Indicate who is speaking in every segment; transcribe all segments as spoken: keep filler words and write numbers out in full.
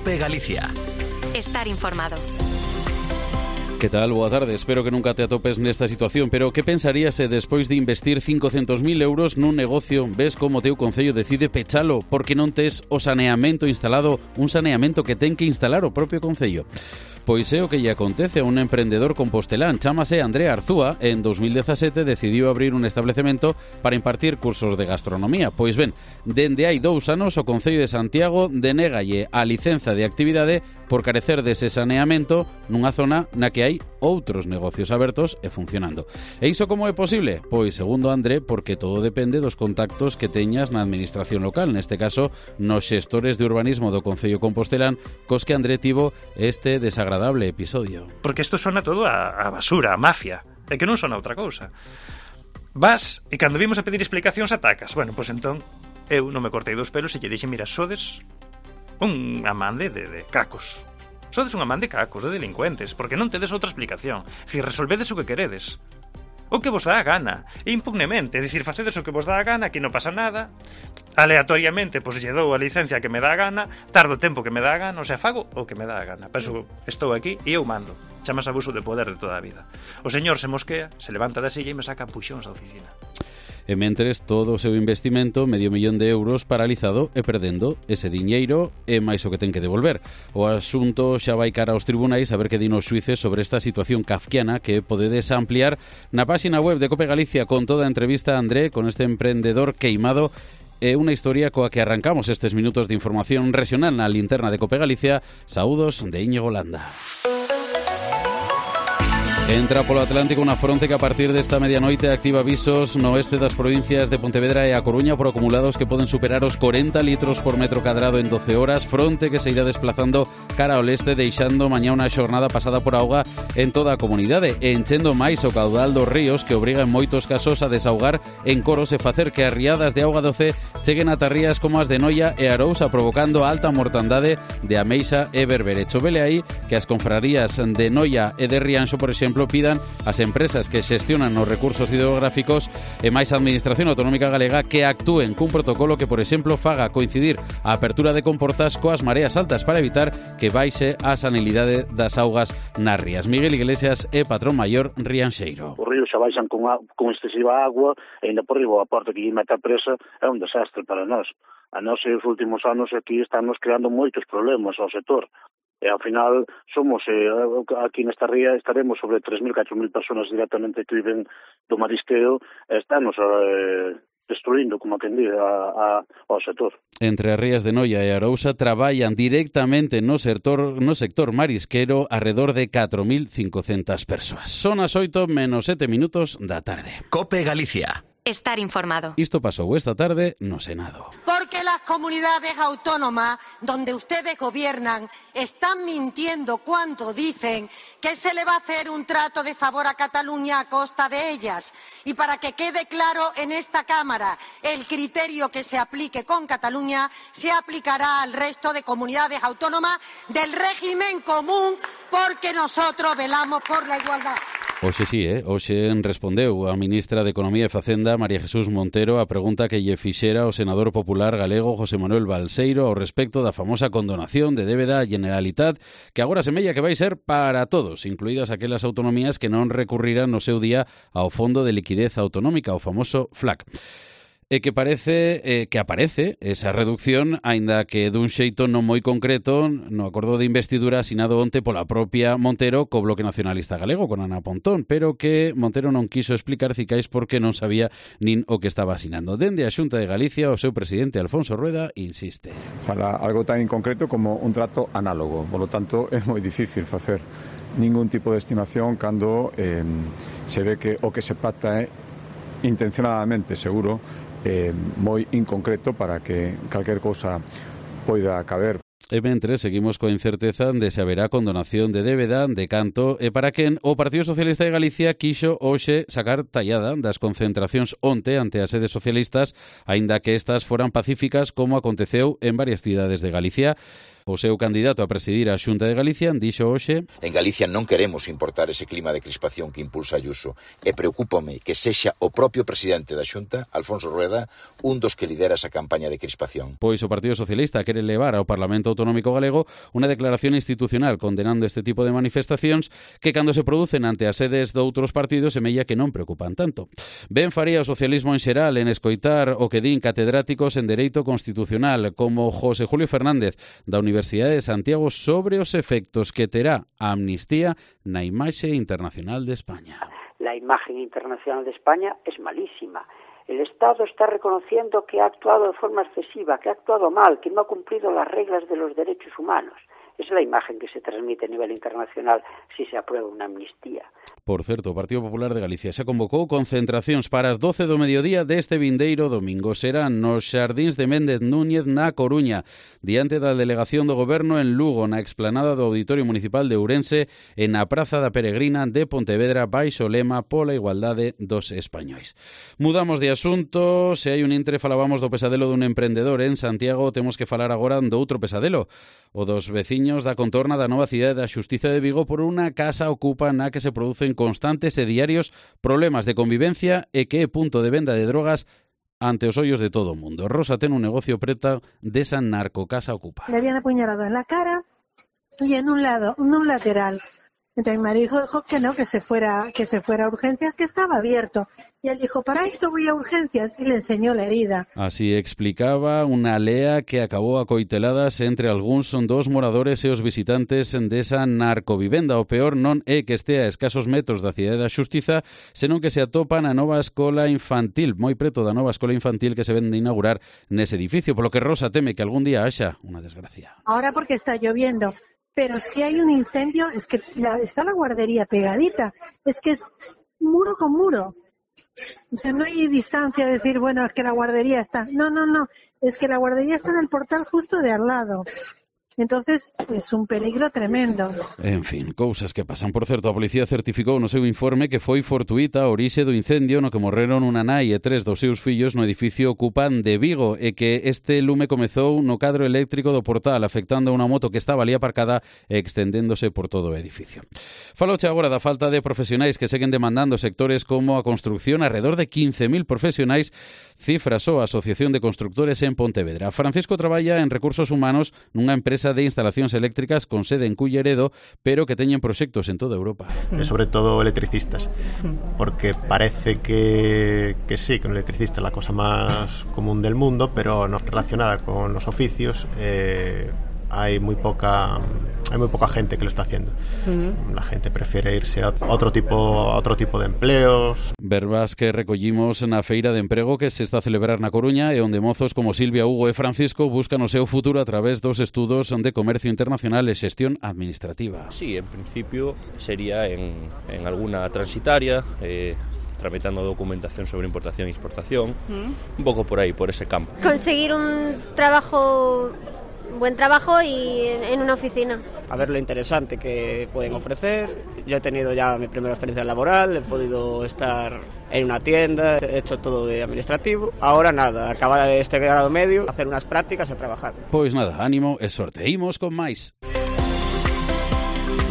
Speaker 1: COPE Galicia.
Speaker 2: Estar informado.
Speaker 3: Que tal? Boa tarde. Espero que nunca te atopes nesta situación, pero que pensarías se despois de investir cincocentos mil euros nun negocio ves como teu concello decide pechalo porque non tes o saneamento instalado, un saneamento que ten que instalar o propio concello? Pois é o que lle acontece a un emprendedor compostelán, chámase André Arzúa, en dos mil dezasete decidiu abrir un establecemento para impartir cursos de gastronomía. Pois ben, dende hai dous anos o Concello de Santiago denégalle a licenza de actividade por carecer dese saneamento nunha zona na que hai outros negocios abertos e funcionando. E iso como é posible? Pois, segundo André, porque todo depende dos contactos que teñas na administración local, neste caso, nos xestores de urbanismo do Concello Compostelán, cos que André tivo este desagradable episodio.
Speaker 4: Porque isto sona todo a, a basura, a mafia, e que non sona outra cousa. Vas, e cando vimos a pedir explicacións atacas. Bueno, pois entón, eu non me cortei dos pelos e lle dixen, mira, sodes un amande de, de cacos. Sodes un amande de cacos, de delincuentes, porque non tedes outra explicación. Si resolvedes o que queredes. O que vos dá a gana, e impugnemente, é dicir, facedes o que vos dá a gana, que non pasa nada, aleatoriamente, pois lle dou a licencia que me dá a gana, tardo o tempo que me dá a gana, o sea, fago o que me dá a gana. Penso, estou aquí e eu mando. Chamas abuso de poder de toda a vida. O señor se mosquea, se levanta da silla e me saca puxóns da oficina.
Speaker 3: E mentres todo o seu investimento, medio millón de euros, paralizado e perdendo ese diñeiro e máis o que ten que devolver. O asunto xa vai cara aos tribunais a ver que din os xuíces sobre esta situación kafkiana que podedes ampliar na páxina web de COPE Galicia con toda a entrevista a André con este emprendedor queimado e unha historia coa que arrancamos estes minutos de información regional na linterna de COPE Galicia. Saúdos de Íñigo Landa. Entra polo Atlántico unha fronte que a partir desta medianoite activa avisos no oeste das provincias de Pontevedra e A Coruña por acumulados que poden superar os corenta litros por metro cadrado en doce horas, fronte que se irá desplazando cara ao leste deixando mañá unha xornada pasada por auga en toda a comunidade e enchendo máis o caudal dos ríos que obriga en moitos casos a desahogar en coros e facer que as riadas de auga doce cheguen a tarrías como as de Noia e Arousa provocando alta mortandade de ameixa e berberecho. Vele aí que as confrarías de Noia e de Rianxo, por exemplo, pidan ás empresas que xestionan os recursos hidrográficos e máis a Administración Autonómica Galega que actúen cun protocolo que, por exemplo, faga coincidir a apertura de comportas coas mareas altas para evitar que baixe a sanilidade das augas nas rías. Miguel Iglesias é patrón maior rianxeiro.
Speaker 5: Os ríos xa baixan con, a, con excesiva agua e ainda por riba a porta que lle mete a presa é un desastre para nós. A nós, os últimos anos aquí estamos creando moitos problemas ao sector. E ao final somos, eh, aquí nesta ría estaremos sobre tres mil, catro mil personas directamente que viven do marisqueo e estamos eh, destruindo, como quen di, a, a, ao sector.
Speaker 3: Entre as rías de Noia e Arousa traballan directamente no sector, no sector marisquero arredor de catro mil cincocentas persoas. Son as oito menos sete minutos da tarde.
Speaker 1: COPE Galicia.
Speaker 2: Estar informado.
Speaker 3: Isto pasou esta tarde no Senado.
Speaker 6: Porque las comunidades autónomas donde ustedes gobiernan están mintiendo cuando dicen que se le va a hacer un trato de favor a Cataluña a costa de ellas. Y para que quede claro en esta Cámara, el criterio que se aplique con Cataluña se aplicará al resto de comunidades autónomas del régimen común porque nosotros velamos por la igualdad.
Speaker 3: Hoxe sí, eh? Hoxe respondeu a ministra de Economía e Facenda, María Jesús Montero, a pregunta que lle fixera o senador popular galego José Manuel Balseiro ao respecto da famosa condonación de débeda á Generalitat, que agora semella que vai ser para todos, incluídas aquelas autonomías que non recurriran no seu día ao Fondo de Liquidez Autonómica, o famoso F L A C. E que parece eh, que aparece esa reducción, aínda que dun xeito non moi concreto, no acordo de investidura asinado onte pola propia Montero co Bloque Nacionalista Galego, con Ana Pontón, pero que Montero non quiso explicar cicais porque non sabía nin o que estaba asinando. Dende a Xunta de Galicia, o seu presidente Alfonso Rueda insiste.
Speaker 7: Fala algo tan inconcreto como un trato análogo, polo tanto é moi difícil facer ningún tipo de estimación cando eh, se ve que o que se pacta é intencionadamente, seguro, Eh, moi inconcreto para que calquer cousa poida caber.
Speaker 3: E mentre seguimos coa incerteza de se haberá condonación de débeda, de canto e para quen o Partido Socialista de Galicia quixo hoxe sacar tallada das concentracións onte ante as sedes socialistas, aínda que estas foran pacíficas como aconteceu en varias cidades de Galicia. O seu candidato a presidir a Xunta de Galicia dixo hoxe:
Speaker 8: En Galicia non queremos importar ese clima de crispación que impulsa Ayuso e preocúpame que sexa o propio presidente da Xunta, Alfonso Rueda, un dos que lidera esa campaña de crispación.
Speaker 3: Pois o Partido Socialista quere levar ao Parlamento Parlamento Autonómico Galego unha declaración institucional condenando este tipo de manifestacións que cando se producen ante as sedes de outros partidos semella que non preocupan tanto. Ben faría o socialismo en xeral en escoitar o que din catedráticos en Dereito Constitucional como José Julio Fernández da Universidade de Santiago sobre os efectos que terá a amnistía na imaxe internacional de España.
Speaker 1: La imagen internacional de España es malísima. El Estado está reconociendo que ha actuado de forma excesiva, que ha actuado mal, que no ha cumplido las reglas de los derechos humanos. Esa es la imagen que se transmite a nivel internacional si se aprueba una amnistía.
Speaker 3: Por certo, o Partido Popular de Galicia xa convocou concentracións para as doce do mediodía deste vindeiro domingo. Serán nos Xardíns de Méndez Núñez na Coruña, diante da delegación do Goberno en Lugo, na explanada do Auditorio Municipal de Ourense e na Praza da Peregrina de Pontevedra baixo o lema pola igualdade dos españois. Mudamos de asunto. Se hai un intre falábamos do pesadelo dun emprendedor en Santiago, temos que falar agora do outro pesadelo, o dos veciños da contorna da nova cidade da Xustiza de Vigo por unha casa ocupa na que se producen constantes e diarios problemas de convivencia e que é punto de venda de drogas ante os ollos de todo o mundo. Rosa ten un negocio preto desa narcocasa ocupa.
Speaker 9: Le habían apuñalado en la cara y en un lado, en un lateral. Entonces mi marido dijo que no, que se fuera, que se fuera a urgencias, que estaba abierto. Y él dijo, para esto voy a urgencias, y le enseñó la herida.
Speaker 3: Así explicaba unha lea que acabou a coiteladas entre algúns son dos moradores e os visitantes desa narcovivenda. O peor non é que estea a escasos metros da cidade da Xustiza, senón que se atopa na nova escola infantil, moi preto da nova escola infantil que se ven de inaugurar nese edificio, polo que Rosa teme que algún día haxa unha desgracia.
Speaker 9: Ahora porque está lloviendo. Pero si hay un incendio, es que la, está la guardería pegadita, es que es muro con muro. O sea, no hay distancia de decir, bueno, es que la guardería está. No, no, no, es que la guardería está en el portal justo de al lado. Entonces, es un peligro tremendo.
Speaker 3: En fin, cousas que pasan. Por certo, a policía certificou no seu informe que foi fortuita a orixe do incendio no que morreron unha nai e tres dos seus fillos no edificio Ocupan de Vigo e que este lume comezou no cadro eléctrico do portal, afectando a unha moto que estaba ali aparcada e extendéndose por todo o edificio. Faloche agora da falta de profesionais que seguen demandando sectores como a construcción. Arredor de quince mil profesionais cifra só a Asociación de Constructores en Pontevedra. Francisco traballa en recursos humanos nunha empresa de instalacións eléctricas con sede en Culleredo, pero que teñen proxectos en toda Europa.
Speaker 10: E sobre todo electricistas, porque parece que, que sí, que un electricista é la cosa máis común del mundo, pero no relacionada con los oficios eh, hay muy poca hay muy poca gente que lo está haciendo. Uh-huh. La gente prefiere irse a otro tipo a otro tipo de empleos.
Speaker 3: Verbas que recollimos na feira de emprego que se está a celebrar na Coruña e onde mozos como Silvia, Hugo e Francisco buscan o seu futuro a través dos estudos de comercio internacional e xestión administrativa.
Speaker 11: Sí, en principio sería en, en alguna transitaria, eh, tramitando documentación sobre importación e exportación, uh-huh. Un poco por ahí, por ese campo.
Speaker 12: Conseguir un trabajo buen trabajo y en, en una oficina.
Speaker 13: A ver lo interesante que pueden ofrecer. Yo he tenido ya mi primera experiencia laboral, he podido estar en una tienda, he hecho todo de administrativo. Ahora nada, acabar este grado medio, hacer unas prácticas e trabajar.
Speaker 3: Pois nada, ánimo e sorte. Imos con máis.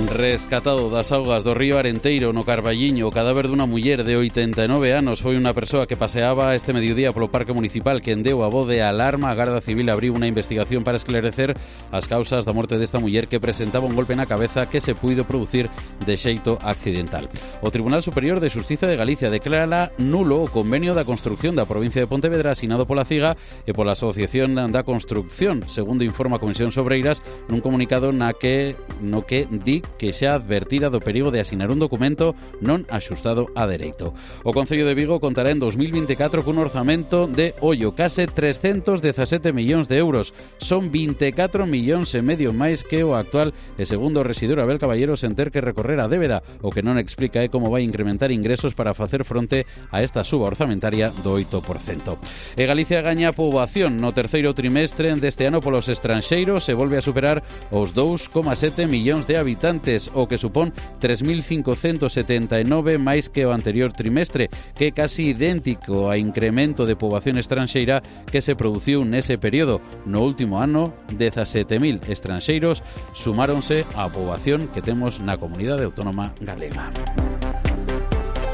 Speaker 3: Rescatado das augas do río Arenteiro no Carballiño, o cadáver dunha muller de oitenta e nove anos. Foi unha persoa que paseaba este mediodía polo Parque Municipal quen deu a voz de alarma. A Garda Civil abriu unha investigación para esclarecer as causas da morte desta muller que presentaba un golpe na cabeza que se puido producir de xeito accidental. O Tribunal Superior de Xustiza de Galicia declara nulo o convenio da construcción da provincia de Pontevedra asinado pola CIGA e pola Asociación da Construcción, segundo informa a Comisión Sobreiras nun comunicado na que no que di que xa advertira do perigo de asinar un documento non axustado a dereito. O Concello de Vigo contará en dos mil vinte e catro cun orzamento de, ollo, case trescentos dezasete millóns de euros. Son vinte e catro millóns e medio máis que o actual e segundo o rexidor Abel Caballero sen ter que recorrer a débeda, o que non explica é como vai incrementar ingresos para facer fronte a esta suba orzamentaria do oito por cento. E Galicia gaña poboación no terceiro trimestre deste ano polos estranxeiros e volve a superar os dous coma sete millóns de habitantes, o que supón tres mil cincocentos setenta e nove máis que o anterior trimestre, que é casi idéntico a incremento de poboación estranxeira que se produciu nese período. No último ano, dezasete mil estranxeiros sumáronse á poboación que temos na comunidade autónoma galega.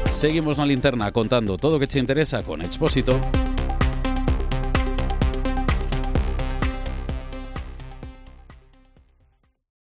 Speaker 3: Seguimos na linterna contando todo o que che interesa con Expósito.